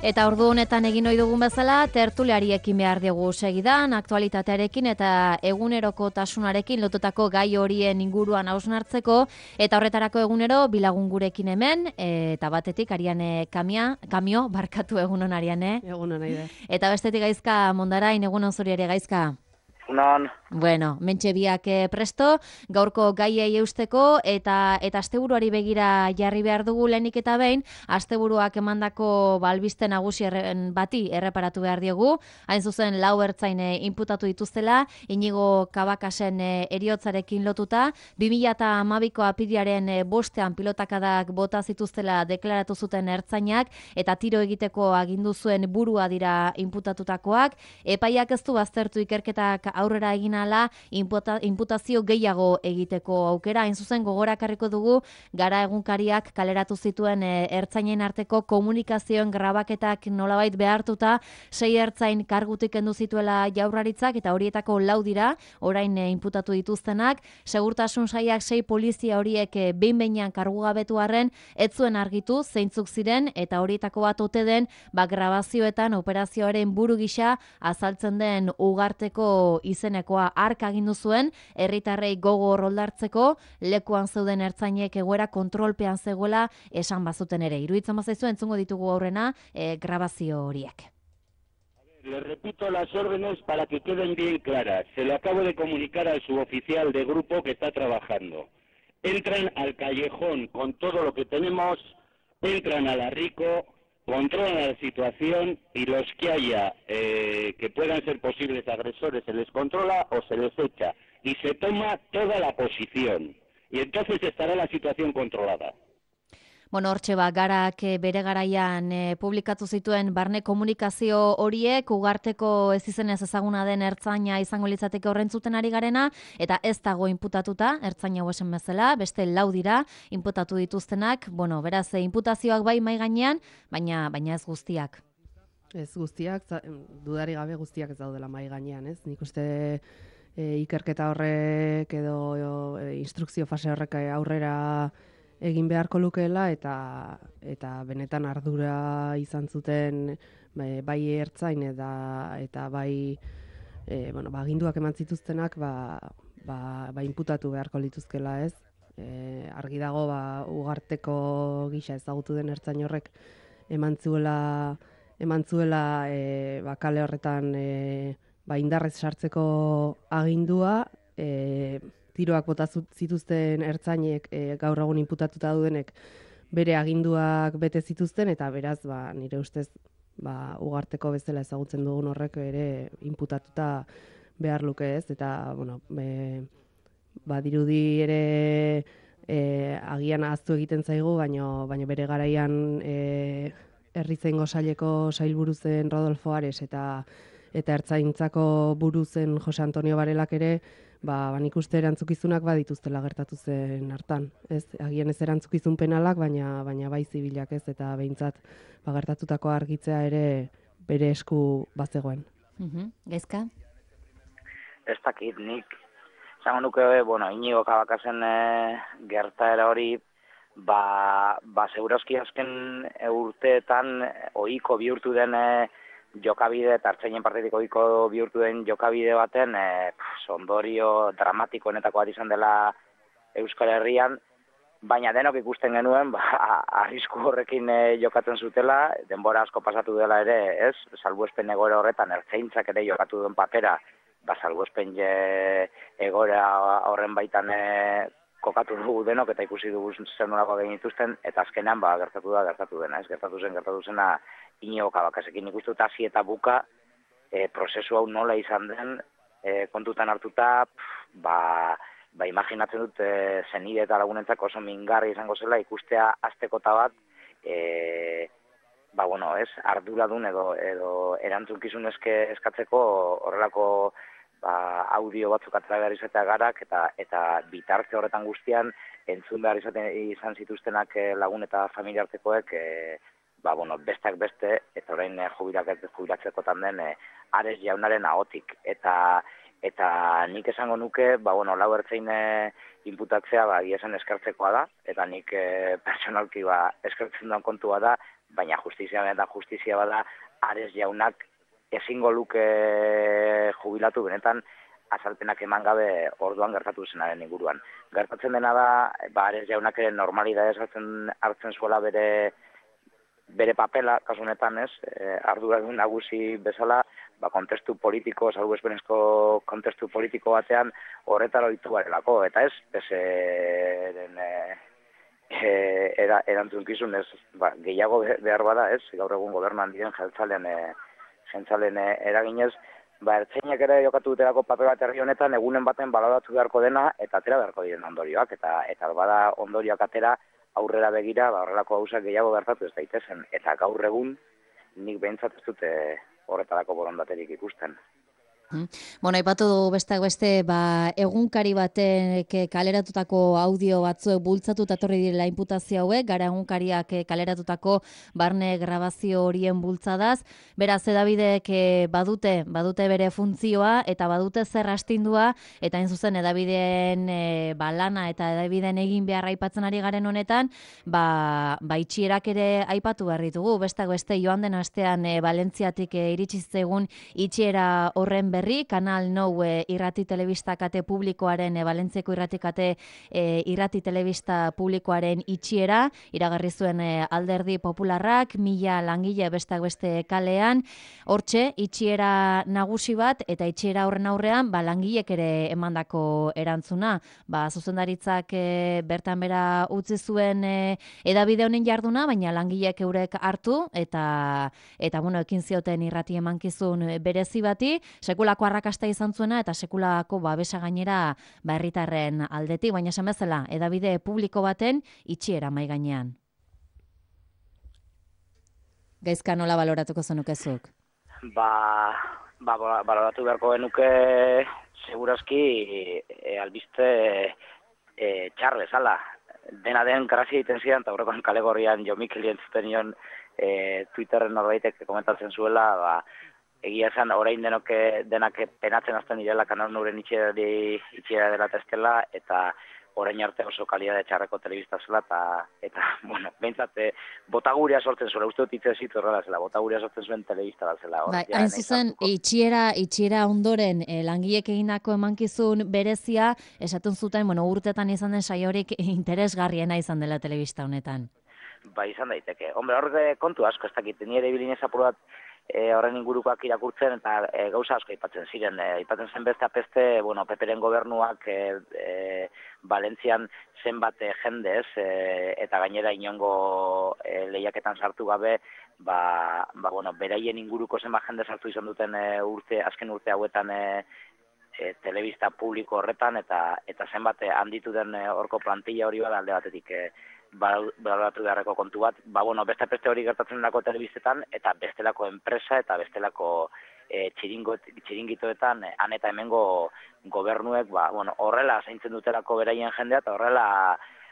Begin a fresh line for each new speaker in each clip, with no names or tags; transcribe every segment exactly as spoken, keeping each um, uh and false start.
Eta ordu honetan egin ohi dugun bezala, tertuliariekin behar dugu segidan, aktualitatearekin eta egunerokotasunarekin lotutako gai horien inguruan hausnartzeko, eta horretarako egunero bilagun gurekin hemen, eta batetik Ariane Kamia, Kamio, barkatu egunon Ariane.
Egunon Aider.
Eta bestetik Gaizka Mondarain, egunon zuri ere Gaizka.
Egunon.
Bueno, mentxe biak presto, gaurko gaiei eusteko eta eta asteburuari begira jarri behar dugu lehenik eta behin, asteburuak emandako albiste nagusi erren bati erreparatu behar diegu, hain zuzen lau ertzain inputatu dituztela, Inigo Kabakasen heriotzarekin lotuta, bi mila hamabiko apirilaren bostean pilotakadak bota zituztela deklaratu zuten ertzainak, eta tiro egiteko agindu zuen burua dira inputatutakoak, epaiak ez du baztertu ikerketak aurrera egin ala inputa, inputazio gehiago egiteko aukera. Hain zuzen gogorakarriko dugu Gara egunkariak kaleratu zituen e, ertzainen arteko komunikazioen grabaketak nolabait behartuta sei ertzain kargutik kendu zituela Jaurlaritzak eta horietako lau dira orain e, inputatu dituztenak. Segurtasun sailak sei polizia horiek e, behin-behinean kargugabetu arren ez zuen argitu zeintzuk ziren eta horietako bat ote den ba, grabazioetan operazioaren buru gisa azaltzen den Ugarteko izenekoa hark agindu zuen, herritarrei gogo roldartzeko, lekuan zeuden ertzainek egoera kontrolpean zegoela esan bazuten ere. Iruditzen bazaizu entzungo ditugu aurrena e, grabazio horiek.
Le repito las órdenes para que queden bien claras. Se lo acabo de comunicar al suboficial de grupo que está trabajando. Entran al callejón con todo lo que tenemos, entran a la Rico, controlan la situación y los que haya eh, que puedan ser posibles agresores se les controla o se les echa y se toma toda la posición y entonces estará la situación controlada.
Bueno, hortxe ba, Garak bere garaian e, publikatu zituen barne komunikazio horiek, Ugarteko ez izenez ezaguna den ertzaina izango litzateke horrentzuten ari garena, eta ez dago inputatuta, ertzaina hau esan bezala, beste lau dira inputatu dituztenak, bueno, beraz, e, inputazioak bai mai gainean, baina baina ez guztiak.
Ez guztiak, dudari gabe guztiak ez daudela mai gainean, ez? Nik uste e, ikerketa horrek edo e, instrukzio fase horrek aurrera egin beharko lukeela eta eta benetan ardura izan zuten bai ertzain eta eta bai e, bueno, ba, aginduak eman zituztenak ba, ba, ba inputatu beharko lituzkela, ez? E, argi dago ba Ugarteko gisa ezagutu den ertzain horrek eman zuela eman zuela e, ba, kale horretan e, ba, indarrez sartzeko agindua, e, tiroak bota zituzten ertzainek e, gaur egun inputatuta dudenek bere aginduak bete zituzten eta beraz ba, nire ustez ba, Ugarteko bezala ezagutzen dugun horrek ere inputatuta behar luke, ez, eta bueno, e, ba, dirudi ere e, agian ahaztu egiten zaigu, baino, baino bere garaian e, herrizaingo saileko sailburu zen Rodolfo Ares eta eta ertzaintzako buru zen Jose Antonio Barelak ere ba, ba nik uste erantzukizunak badituztela gertatu zen hartan. Ez, agian ez erantzukizun penalak, baina baina bai zibilak, ez, eta behintzat ba, gertatutako argitzea ere bere esku bazegoen.
Mhm. Gaizka?
Ez dakit, nik zango nuke, bueno, Inigo Kabakasen e, gertaera hori, ba, ba segurazki azken urteetan ohiko bihurtu den e, jokabide, eta ertzainen partetik ohiko bihurtu den jokabide baten e, ondorio dramatikoenetako bat izan dela Euskal Herrian, baina denok ikusten genuen, ba, arrisku horrekin e, jokatzen zutela, denbora asko pasatu dela ere, ez? Salbuespen egoera horretan ertzaintzak ere jokatu duen papera, ba, salbuespen e, egoera horren baitan e, kokatu dugu denok eta ikusi dugu zer nolako egin dituzten, eta azkenean ba, gertatu da, gertatu dena, ez? Gertatu zen, gertatu zena Inigo Kabakasekin ikustu eta hasi eta buka e, prozesu hau nola izan den e, kontutan hartuta, pff, ba, ba imaginatzen dut e, zenide eta lagunentzako oso mingarri izango zela ikustea aztekota bat, e, ba bueno, ez, arduradun edo, edo erantzukizun eske eskatzeko horrelako ba, audio batzuk atera behar izatea Garak eta eta bitarte horretan guztian entzun behar izaten izan zituztenak lagun eta familiartekoek e, ba, bueno, besteak beste, eta orain e, jubilatzekotan den e, Ares jaunaren ahotik. Eta eta nik esango nuke, ba, bueno, lau ertzain e, inputatzea ba, esan eskertzekoa da, eta nik e, personalki ba, eskertzen duen kontua da, baina justizia eta justizia bada Ares jaunak ezingo luke jubilatu benetan azalpenak eman gabe orduan gertatu zenaren inguruan. Gertatzen dena da, ba, Ares jaunak ere normalidadez hartzen, hartzen zuela bere bere papela, kasu honetan ez, e, arduradun nagusi bezala, ba, kontestu politiko, salbuespenezko kontestu politiko batean horretara ohitu garelako, eta ez, peseren e, e, era, erantzunkizun ez, ba, gehiago behar bada ez, gaur egun gobernuan diren jeltzalen, e, jeltzalen e, eraginez, ba, ertzainak ere jokatu dutelako paper bat herri honetan, egunen baten baloratu beharko dena, eta atera beharko diren ondorioak, eta, eta bada ondorioak atera, aurrera begira, ba, horrelako gauzak gehiago gertatu ez daitezen. Eta gaur egun, nik behintzat ez dute horretarako borondaterik ikusten.
Bueno, aipatu du besteak beste, ba, egunkari batek kaleratutako audio batzuek bultzatu etorri direla inputazio hauek, gara egunkariak kaleratutako barne grabazio horien bultzadaz. Beraz, edabidek badute, badute bere funtzioa eta badute zer astindua, eta hain zuzen edabideen e, ba, lana eta edabideen egin behar aipatzen ari garen honetan, ba, ba itxierak ere aipatu behar ditugu. Besteak beste, joan den astean e, Valentziatik e, iritsi zaigun itxiera horren berri, Kanal Nou e, irrati telebista kate publikoaren, e, Valentziako irrati kate e, irrati telebista publikoaren itxiera, iragarri zuen e, Alderdi Popularrak, mila langile besteak beste kalean, hortxe, itxiera nagusi bat, eta itxiera horren aurrean, ba, langilek ere emandako erantzuna. Ba, zuzendaritzak e, bertan bera utzi zuen e, edabide honen jarduna, baina langilek eurek hartu, eta, eta bueno, ekin zioten irrati emankizun berezi bati, sekulako arrakasta izan zuena eta sekulako babesa gainera ba herritarren aldetik, baina esan bezala, edabide publiko baten itxiera mai gainean. Gaizka, nola baloratuko zenukezuk?
Ba, ba, baloratu beharko genuke segurazki e, albiste e, txarrez, ala. Dena den grazia egiten zidan, eta horrekoan kalegorrian Jo Mikel entzuten nion e, Twitterren norbaitek komentatzen zuela, ba, egia esan, orain denok denak penatzen hasten direla Kanal Nouren itxiera dela testela, eta orain arte oso kalidade txarreko telebista zela, eta, eta bueno, behintzat, botaguria sortzen zuela, uste dut itzez zitu horrela zela, botaguria sortzen zuen telebista bat zela.
Bai, hain zuzen, itxiera, itxiera ondoren, eh, langilek egindako emankizun berezia, esaten zuten, bueno, urtetan izan den saiorik interesgarriena izan dela telebista honetan.
Ba, izan daiteke. Hombre, horre kontu asko, ez dakit, nire bilinez apur bat, E, horren ingurukoak irakurtzen eta e, gauza asko aipatzen ziren. E, aipatzen zen beste apeste, bueno, Peperen gobernuak e, e, Valentzian zenbat e, jendez e, eta gainera inongo e, lehiaketan sartu gabe, ba, ba, bueno, beraien inguruko zenbat jende sartu izan duten e, urte, azken urte hauetan e, e, telebista publiko horretan, eta eta zenbat e, handitu den e, horko plantilla hori bada alde batetik e, baloratu beharreko kontu bat, ba, bueno, beste peste hori gertatzen delako telebistetan, eta bestelako enpresa, eta bestelako e, txiringitoetan, han eta hemengo gobernuek, ba, bueno, horrela zaintzen dutelako beraien jendea, eta horrela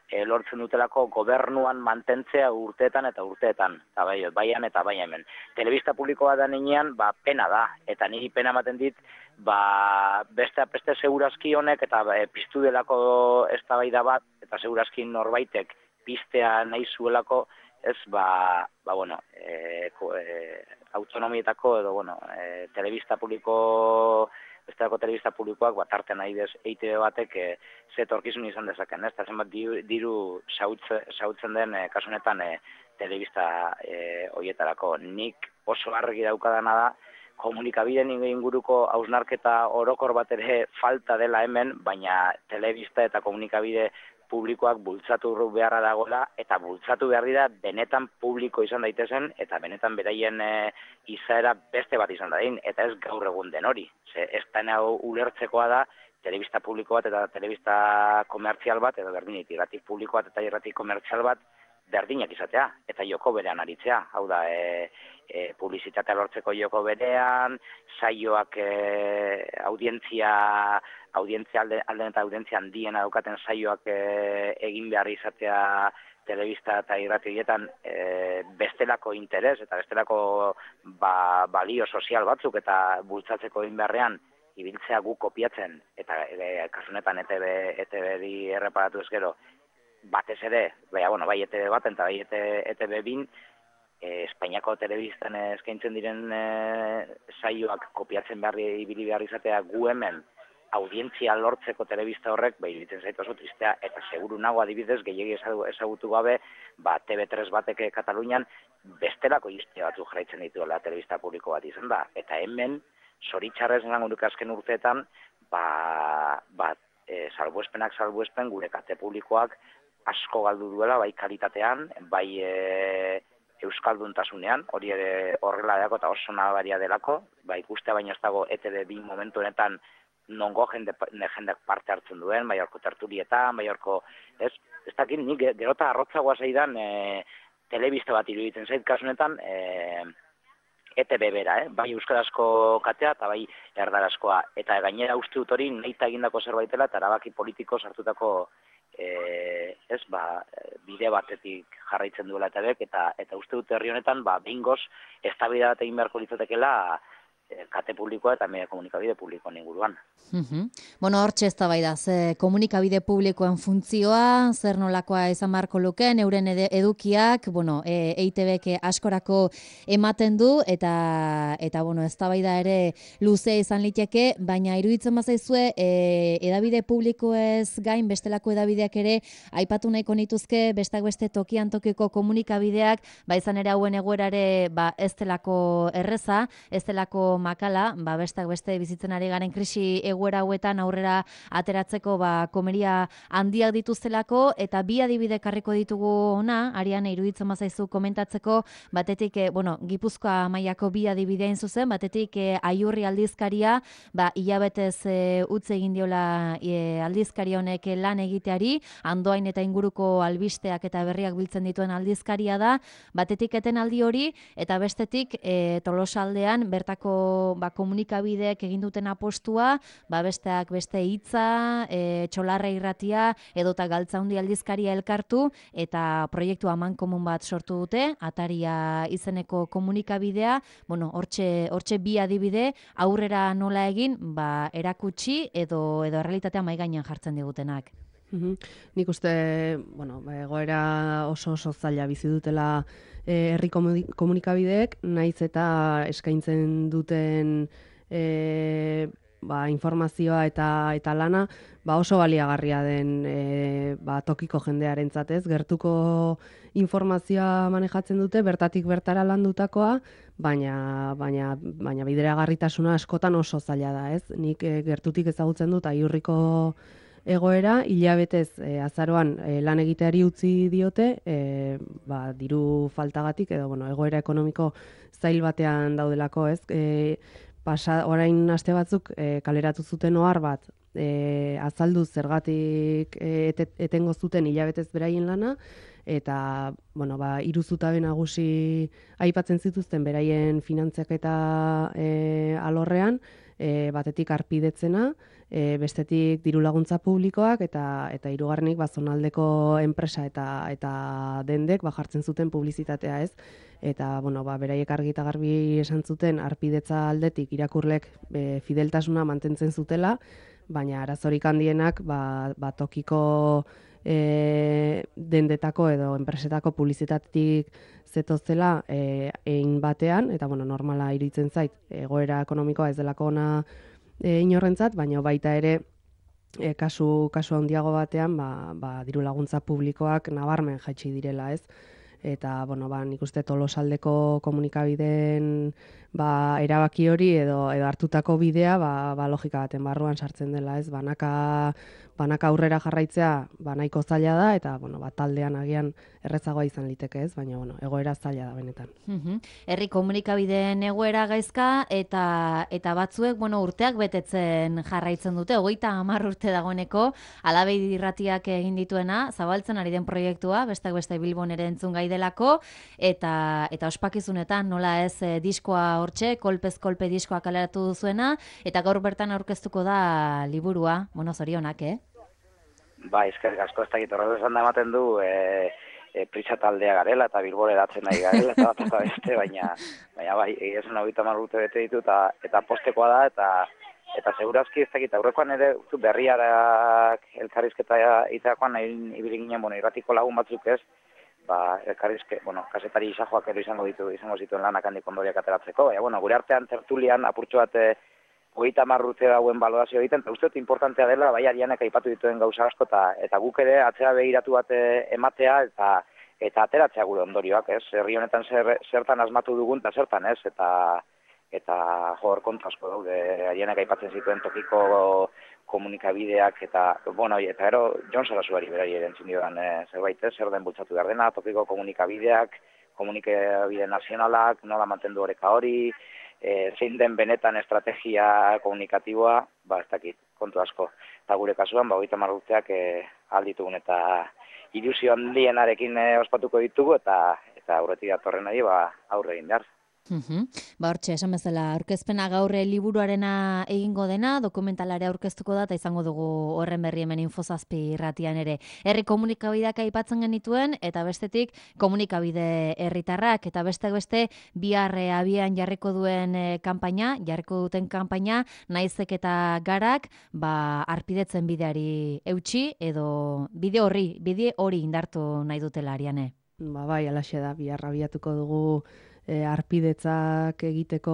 e, lortzen dutelako gobernuan mantentzea urteetan eta urteetan, eta bai, baian eta bai hemen. Telebista publikoa da ninean, ba, pena da, eta niri pena ematen dit, ba, beste peste segurazki honek, eta e, piztu delako eztabaida bat, eta segurazki norbaitek, pistea nahi zuelako, ez, ba, ba bueno, e, e, autonomietako edo, bueno, e, telebista publiko, bestelako telebista publikoak, bat artean nahi dez, E I T B batek, e, zetorkizun izan dezaken, ez, eta zenbat diru, diru sautzen den, e, kasunetan, e, telebista e, hoietarako. Nik oso argi daukadana da, komunikabideen inguruko hausnarketa orokor bat ere falta dela hemen, baina telebista eta komunikabide publikoak bultzatu beharra dagoela, eta bultzatu behar dira benetan publiko izan daitezen, eta benetan beraien e, izaera beste bat izan dadin, eta ez gaur egun den hori. Ze, ez da ulertzekoa da, telebista publiko bat eta telebista komertzial bat, edo berdinit, irrati publiko bat eta irrati komertzial bat, berdinak izatea, eta joko berean aritzea. Hau da, e, e, publizitatea lortzeko joko berean, saioak e, audientzia, audientzia alde, alden eta audientzia handiena daukaten saioak e, egin behar izatea telebista eta irrati horietan e, bestelako interes eta bestelako ba, balio sozial batzuk eta bultzatzeko egin beharrean ibiltzea gu kopiatzen, eta e, kasunetan E T B, E T B-ri erreparatu ez gero, batez ere, baina, bueno, bai E T B baten eta bai E T B bin, e, Espainiako telebistan eskaintzen diren e, saioak kopiatzen behar ibili behar izatea gu hemen audientzia lortzeko telebista horrek, ba, iruditzen zait oso tristea, eta seguru nago adibidez, gehiegi ezagutu gabe, ba, T V tres batek Katalunian bestelako izte batzu jarraitzen dituela telebista publiko bat izan da. Eta hemen, zoritxarrez esango nuke azken urteetan, ba, ba, e, salbuespenak salbuespen gure kate publikoak asko galdu duela, bai kalitatean, bai e, euskalduntasunean, hori ere horrela delako eta oso nabaria delako, ba, ikustea baina ez dago E T B bi momentu honetan nongo jende, jendeak parte hartzen duen, bai horko tertulietan, bai horko, ez, ez dakit, nik gerota arrotzagoa zeidan e, telebista bat iruditzen zait kasunetan e, E T B bera, eh? Bai euskarazko katea eta bai erdarazkoa, eta gainera uste dut hori nahita egindako zerbaitela eta erabaki politiko sartutako e, ez, ba, bide batetik jarraitzen duela E T Bek, eta, eta uste dut herri honetan, ba, behingoz, eztabaida bat egin beharko litzatekeela kate publikoa eta media komunikabide publikoan inguruan.
Uh-huh. Bueno, hortxe eztabaida, ze komunikabide publikoen funtzioa, zer nolakoa izan beharko lukeen, euren edukiak, bueno, e, E I T Bek askorako ematen du, eta, eta bueno, eztabaida ere luzea izan liteke, baina iruditzen bazaizue, e, edabide publikoez gain, bestelako edabideak ere, aipatu nahiko nituzke, bestak beste tokian tokiko komunikabideak, ba izan ere hauen egoerare, ba ez delako erreza, ez delako makala, ba bestak beste bizitzen ari garen krisi egoera hauetan aurrera ateratzeko ba komeria handiak dituztelako, eta bi adibide karriko ditugu ona, Ariane iruditzen bazaizu komentatzeko, batetik e, bueno, Gipuzkoa mailako bi adibide hain zuzen, batetik e, Aiurri aldizkaria, ba hilabetez e, utz egin diola e, aldizkaria honek lan egiteari, Andoain eta inguruko albisteak eta berriak biltzen dituen aldizkaria da, batetik etenaldi hori, eta bestetik e, Tolosaldean bertako ba, komunikabideek egin duten apostua, ba, besteak beste hitza, e, Txolarra irratia, edota Galtzaundi aldizkaria elkartu, eta proiektu amankomun bat sortu dute, Ataria izeneko komunikabidea, bueno, hortxe, hortxe bi adibide, aurrera nola egin, ba, erakutsi, edo, edo realitatea mahai gainean jartzen digutenak.
Uhum. Nik uste, bueno, egoera oso oso zaila bizi dutela herri e, komunikabideek, naiz eta eskaintzen duten e, ba, informazioa eta eta lana ba oso baliagarria den e, ba, tokiko jendearentzat, ez, gertuko informazioa manejatzen dute, bertatik bertara landutakoa, baina baina baina bideragarritasuna askotan oso zaila da, ez? Nik e, gertutik ezagutzen dut Aiurriko egoera, hilabetez e, azaroan e, lan egiteari utzi diote, e, ba, diru faltagatik, edo bueno, egoera ekonomiko zail batean daudelako, ez? E, pasa, orain aste batzuk e, kaleratu zuten ohar bat, e, azaldu zergatik e, et, etengo zuten hilabetez beraien lana, eta bueno, ba, hiru zutabe nagusi aipatzen zituzten beraien finantzaketa e, alorrean, e, batetik arpidetzena, e, bestetik diru laguntza publikoak, eta eta hirugarrenik ba, zonaldeko enpresa eta eta dendek ba, jartzen zuten publizitatea, ez? Eta bueno, ba, beraiek argi eta garbi esan zuten arpidetza aldetik irakurlek e, fideltasuna mantentzen zutela, baina arazorik handienak ba, ba, tokiko e, dendetako edo enpresetako publizitatetik zetozela e, egin batean, eta bueno, normala iruditzen zait, egoera ekonomikoa ez delako ona e, inorrentzat, baina baita ere e, kasu, kasu handiago batean ba, ba, diru laguntza publikoak nabarmen jaitsi direla, ez? Eta, bueno, ba, nik uste Tolosaldeko komunikabideen ba, erabaki hori edo, edo hartutako bidea ba, ba, logika baten barruan sartzen dela, ez? Banaka, banaka aurrera jarraitzea ba, nahiko zaila da, eta bueno, ba, taldean agian errezagoa izan liteke, ez? Baina bueno, egoera zaila da benetan.
Uh-huh. Herri komunikabideen egoera gaizka, eta eta batzuek bueno, urteak betetzen jarraitzen dute, hogeita hamar urte dagoeneko, Alabeidi irratiak egin dituena, zabaltzen ari den proiektua, bestak beste Bilbon ere entzun gai delako, eta eta ospakizunetan nola ez e, diskoa hortxe, kolpez kolpe diskoa kaleratu duzuena, eta gaur bertan aurkeztuko da liburua, bueno, zorionak, eh?
Ba, eskerrik asko, ez dakit horrela esan da ematen du, e, e, prisa taldea garela, eta Bilbora edatzen nahi garela, eta bat eta beste, baina, baina bai, egia zen hogeita hamar urte bete ditu, eta, eta postekoa da, eta eta segurazki ez dakit, aurrekoan ere berriarak elkarrizketa itakoan, ibili ginen, bueno, irratiko lagun batzuk ez, ba, elkarrizke, bueno, kasetari isajoak ero izango ditu, izango zituen lanak handik ondoriak ateratzeko, baina, bueno, gure artean tertulian apurtxo bat hogeita hamar urte dauen balorazio egiten, eta uste dut importantea dela, bai Arianek aipatu dituen gauza asko, eta, eta guk ere atzera begiratu bat ematea, eta eta ateratzea gure ondorioak, ez? Herri honetan zer, zertan asmatu dugun, eta zertan, ez? Eta, eta jor kontu asko daude, Arianek aipatzen zituen tokiko komunikabideak, eta, bueno, eta gero, Jon Sarasuari berari erentzun diodan e, zerbait, ez? Zer den bultzatu behar dena, tokiko komunikabideak, komunikabide nazionalak, nola mantendu oreka hori, E, zein den benetan estrategia komunikatiboa, ba, ez dakit, kontu asko. Eta gure kasuan, ba, hogeita hamar urteak e, alditugun eta ilusio handienarekin e, ospatuko ditugu, eta eta aurretik datorrenari ba, aurre egin behar.
Uhum. Ba, hortxe, esan bezala, aurkezpena gaurre liburuarena egingo dena, dokumentalare aurkeztuko da, eta izango dugu horren berri hemen Infozazpi irratian ere. Herri komunikabideak aipatzen genituen, eta bestetik komunikabide herritarrak, eta besteak beste bihar abian jarriko duen e, kanpaina, jarriko duten kanpaina, naizek eta garak, ba, arpidetzen bideari eutxi, edo bide horri, bide hori indartu nahi dutela, Ariane.
Ba, bai, alaxe da, bihar abiatuko dugu E, arpidetzak egiteko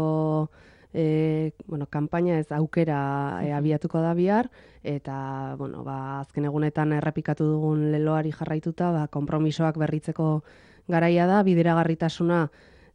e, bueno, kanpaina ez aukera e, abiatuko da bihar, eta bueno, ba, azken egunetan errepikatu dugun leloari jarraituta, ba, konpromisoak berritzeko garaia da, bideragarritasuna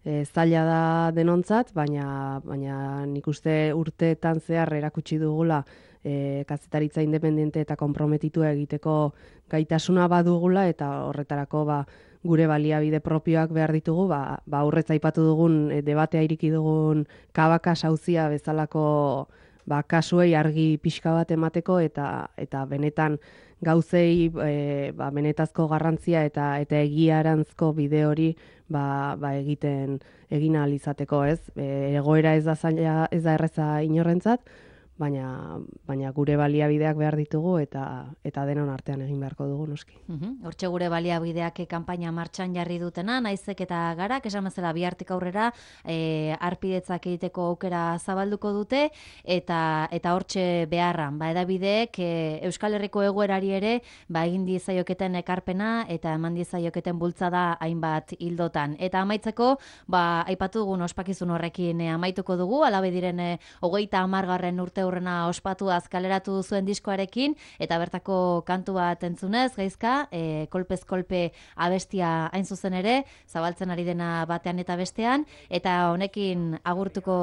e, zaila da denontzat, baina, baina nik uste urteetan zehar erakutsi dugula e, kazetaritza independente eta konprometitua egiteko gaitasuna badugula, eta horretarako ba, gure baliabide propioak behar ditugu, ba, ba aurretza aipatu dugun, e, debatea iriki dugun Kabaka sauzia bezalako ba, kasuei argi pixka bat emateko, eta eta benetan gauzei e, ba, benetazko garrantzia eta eta egiarantzko bide hori ba, ba egiten egin ahal izateko, ez? E, egoera ez da zaila, ez da erreza inorrentzat, baina baina gure baliabideak behar ditugu, eta eta denon artean egin beharko dugu noski.
Uhum. Hortxe gure baliabideak kanpaina martxan jarri dutena, naizek eta garak, esan bezala bihartik aurrera e, arpidetzak egiteko aukera zabalduko dute, eta eta hortxe beharran, ba edabideek e, Euskal Herriko egoerari ere ba egin diezaioketen ekarpena eta eman diezaioketen bultzada hainbat hildotan. Eta amaitzeko, ba aipatu dugun ospakizun horrekin e, amaituko dugu, alabe diren e, hogeita hamargarren urte urrena ospatu azkaleratu zuen diskoarekin, eta bertako kantu bat entzunez, gaizka, e, kolpez kolpe abestia hain zuzen ere, zabaltzen ari dena batean eta bestean, eta honekin agurtuko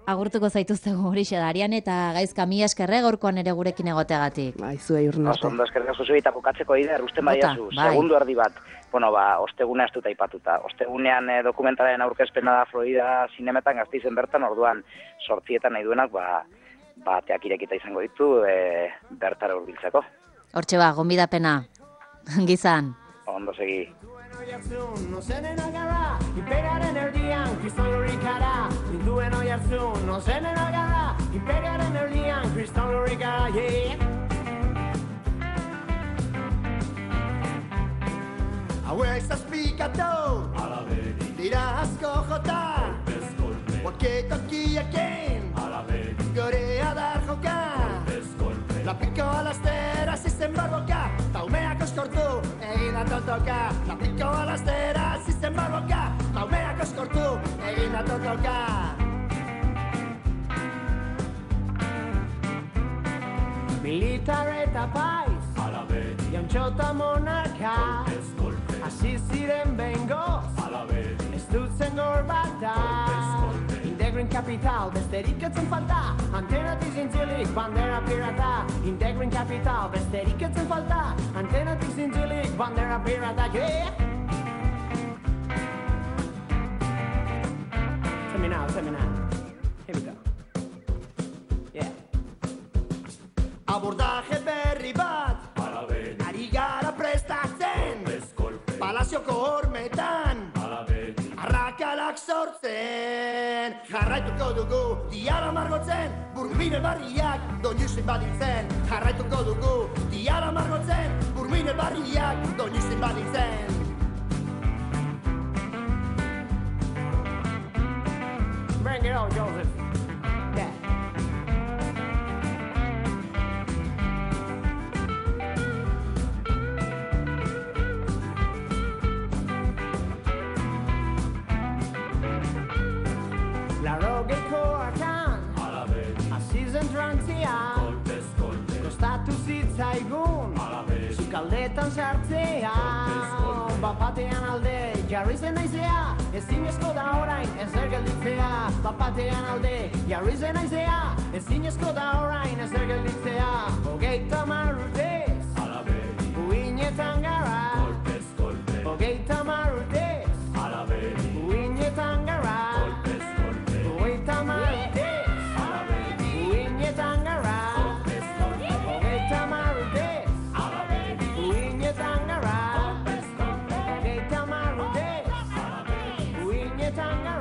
agurtuko zaituztegu horixe da, Ariane, eta gaizka mi eskerre gaurkoan ere gurekin egoteagatik.
Bai, zuei urren arte.
Ondo eskerrik asko zuei, eta bukatzeko idea, usten badiazu,
bai.
Segundu erdi bat. Bueno, ba, ostegunea ez dut aipatuta. Ostegunean e, dokumentaren aurkezpena da Florida Zinemetan Gasteizen bertan, orduan sortzietan nahi duenak, ba, bateak irekita izango ditu e, bertara hurbiltzeko.
Hortxe ba, gonbidapena. Gizan.
Ondo segi.
No zenen agara, imperiaren erdian, kriston lurikara. Ninduen oi hartzun, no zenen agara, imperiaren erdian, kriston lurikara, yeah. Hauek zazpikatu, dira asko jota, Waketokiaken, gorea dar joka, lapiko alastera zizten barboka, taumeak oskortu, egin atotoka. Lapiko alastera zizten barboka, taumeak oskortu, egin atotoka. Militar eta paiz, jauntxota monarka, hasi ziren bengoz, ez dutzen gorbata. Integrin kapital, besterik etzen falta, antenatik zintzilik, bandera pirata. Integrin kapital, besterik etzen falta, antenatik zintzilik, bandera pirata, yeah! Tell me now, tell me now. Here we go. Yeah. Abordaje berri bat, ari gara prestatzen, palazioko hormetan, arrakalak sortzen. Jarraituko dugu, diara margotzen, burmine barriak, doinuzen badintzen. Jarraituko dugu, diara margotzen, burmine barriak, doinuzen badintzen. Bring it on, Joseph. Yeah. zen trantzia,
Kolpez, kolpez,
kostatu zitzaigun,
alabez,
sukaldetan sartzea, bapatean alde jarri zen naizea, ezinezko da orain ezer gelditzea, bapatean alde jarri zen naizea, ezinezko da orain ezer gelditzea, hogeita hamar urtez,
alabez,
uinetan gara,
kolpez, kolpez,
hogeita hamar urtez,
alabez,
uinetan gara,
kolpez, kolpez,
hogeita hamar urtez,
alabez,
uinetan gara,
kolpez, kolpez,
hogeita hamar urtez,
alabez,
uinetan gara,
kolpez, kolpez,
hogeita hamar urtez,
alabez,
uinetan gara.